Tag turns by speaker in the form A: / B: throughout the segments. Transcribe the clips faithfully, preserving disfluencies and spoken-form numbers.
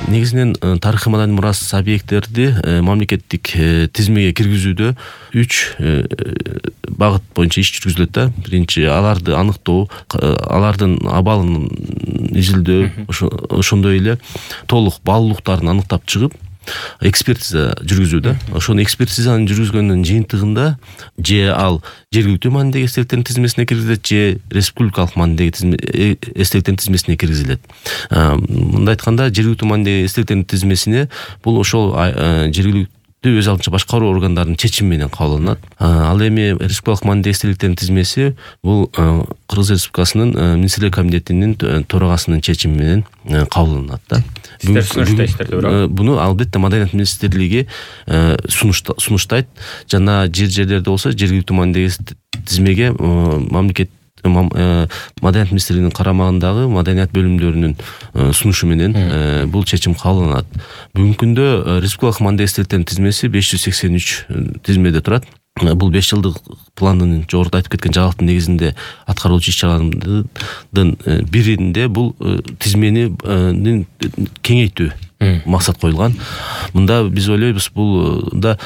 A: негизинен тарыхый маданий мурас объекттерди мамлекеттик тизмеге киргизүүдө үч багыт боюнча иш жүргүзүлөт да. Биринчи, аларды аныктоо, алардын абалын изилдөө, ошондой эле толук баалуулуктарын аныктап чыгып экспертиза жүргүзүү да. Ошону экспертизаны жүргүзгөндүн жыйынтыгында же ал жергиликтүү маанидеги эстеликтердин тизмесине киргизилет, же республикалык маанидеги эстеликтердин тизмесине киргизилет. Мындай айтканда, жергиликтүү маанидеги эстеликтердин тизмесине бул ошол жергиликтүү өз алдынча башкаруу органдарынын чечими менен кабыл алынат. Ал эми республикалык маанидеги эстеликтердин тизмеси бул Кыргыз Республикасынын министрлер кабинетинин төрагасынын чечими менен кабыл алынат да. Буну албетте Маданият министрлиги сунуштайт. Жана жер жерлерде болсо жергиликтүү маанидеги тизмеге мамлекет Маданият министрлигинин карамагындагы маданият бөлүмдөрүнүн сунушу менен бул чечим кабыл алынат. Бүгүнкү күндө республикалык маанидеги эстеликтердин тизмеси беш жүз сексен үч тизмеде турат. Бул беш жылдык пландын жогоруда айтып кеткен жаңылыктын негизинде аткаруучу иш-чаралардын биринде бул тизмени кеңейтүү максат коюлган. Мында биз ойлойбуз, бул да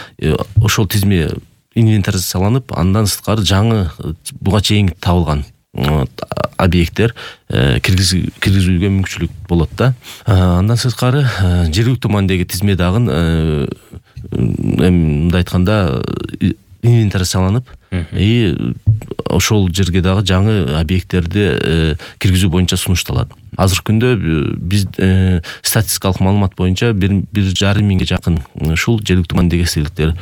A: ошол тизме инвентаризацияланып, андан сырткары жаңы буга чейин табылган объекттер киргизүүгө мүмкүнчүлүк болот да. Андан сырткары жергиликтүү маанидеги тизме дагы мындай айтканда инвентаризацияланып, и ошол жерге дагы жаңы объекттерди киргизүү боюнча сунушталат. Азыркы күндө биз статистикалык маалымат боюнча бир жарым миңге жакын ушул жергиликтүү маанидеги эстеликтер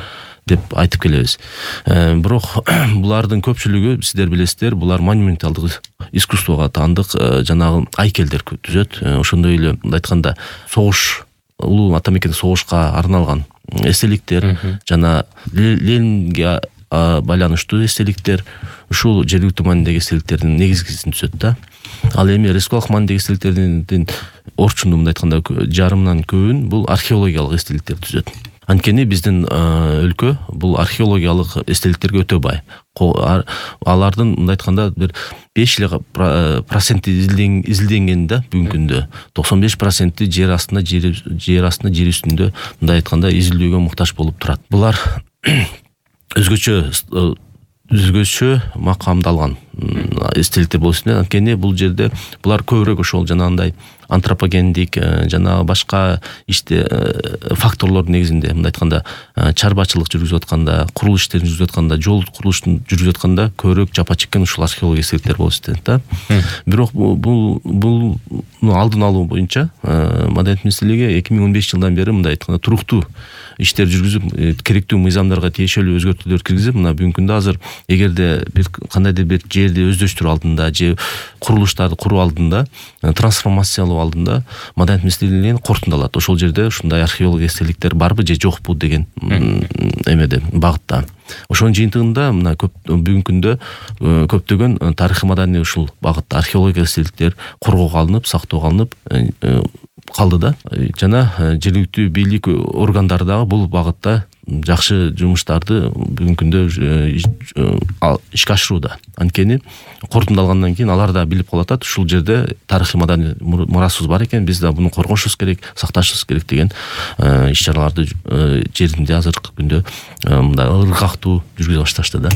A: деп айтып келебиз. Бирок булардын көпчүлүгү, сиздер билесиздер, булар монументалдык искусствого таандык жанагы айкелдер түзөт. Ошондой эле мындай айтканда согуш, улуу ата мекен согушка арналган эстеликтер, жана Ленинге байланыштуу эстеликтер, ушул жергиликтүү маанидеги эстеликтердин негизгисин түзөт да. Ал эми республикалык маанидеги эстеликтердин орчунду мындай айтканда жарымынан көбүн бул археологиялык эстеликтер түзөт. Анткени биздин өлкө бул археологиялык эстеликтерге өтө бай. Алардын мындай айтканда бир беш эле проценти изилденген да бүгүнкү күндө. токсон беш проценти жер астында, жер астында, жер үстүндө мындай айтканда изилдөөгө муктаж болуп турат. Булар өзгөчө өзгөчө макамдалган эстеликтер болуп эсептелет. Анткени бул жерде булар көбүрөөк ошол жанагындай антропогендик жана башка иште факторлор негизинде, мындай айтканда чарбачылык жүргүзүп атканда, курулуш иштерин жүргүзүп атканда, жол курулушун жүргүзүп атканда көбүрөөк жапа чеккен ушул археология эстеликтер болуп эсептелет да. Бирок бул бул алдын алуу боюнча Маданият министрлиги эки миң он беш жылдан бери мындай айтканда туруктуу иштер жүргүзүп, керектүү мыйзамдарга тиешелүү өзгөртүүлөр киргизип, мына бүгүнкү күндө азыр эгерде бир кандайдыр бир жерди өздөштүрүү алдында же курулуштарды куруу алдында, трансформациялоо алдында Маданият министрлигинен кортундалат. Ошол жерде ушундай археология эстеликтер барбы же жокпу деген эмеде, багытта. Ошонун жыйынтыгында мына бүгүнкү күндө көптөгөн тарыхый маданий ушул багытта археология эстеликтер коргоого алынып, сактоого алынып калды да. Жана жергиликтүү бийлик органдары дагы бул багытта жакшы жумуштарды бүгүнкү күндө ишке ашырууда. Анткени кортундалгандан кийин алар да билип калып атат, ушул жерде тарыхый маданий мурасыбыз бар экен, биз да буну коргошубуз керек, сакташыбыз керек деген иш-чараларды жеринде азыркы күндө мындай ыргактуу жүргүзө башташты да.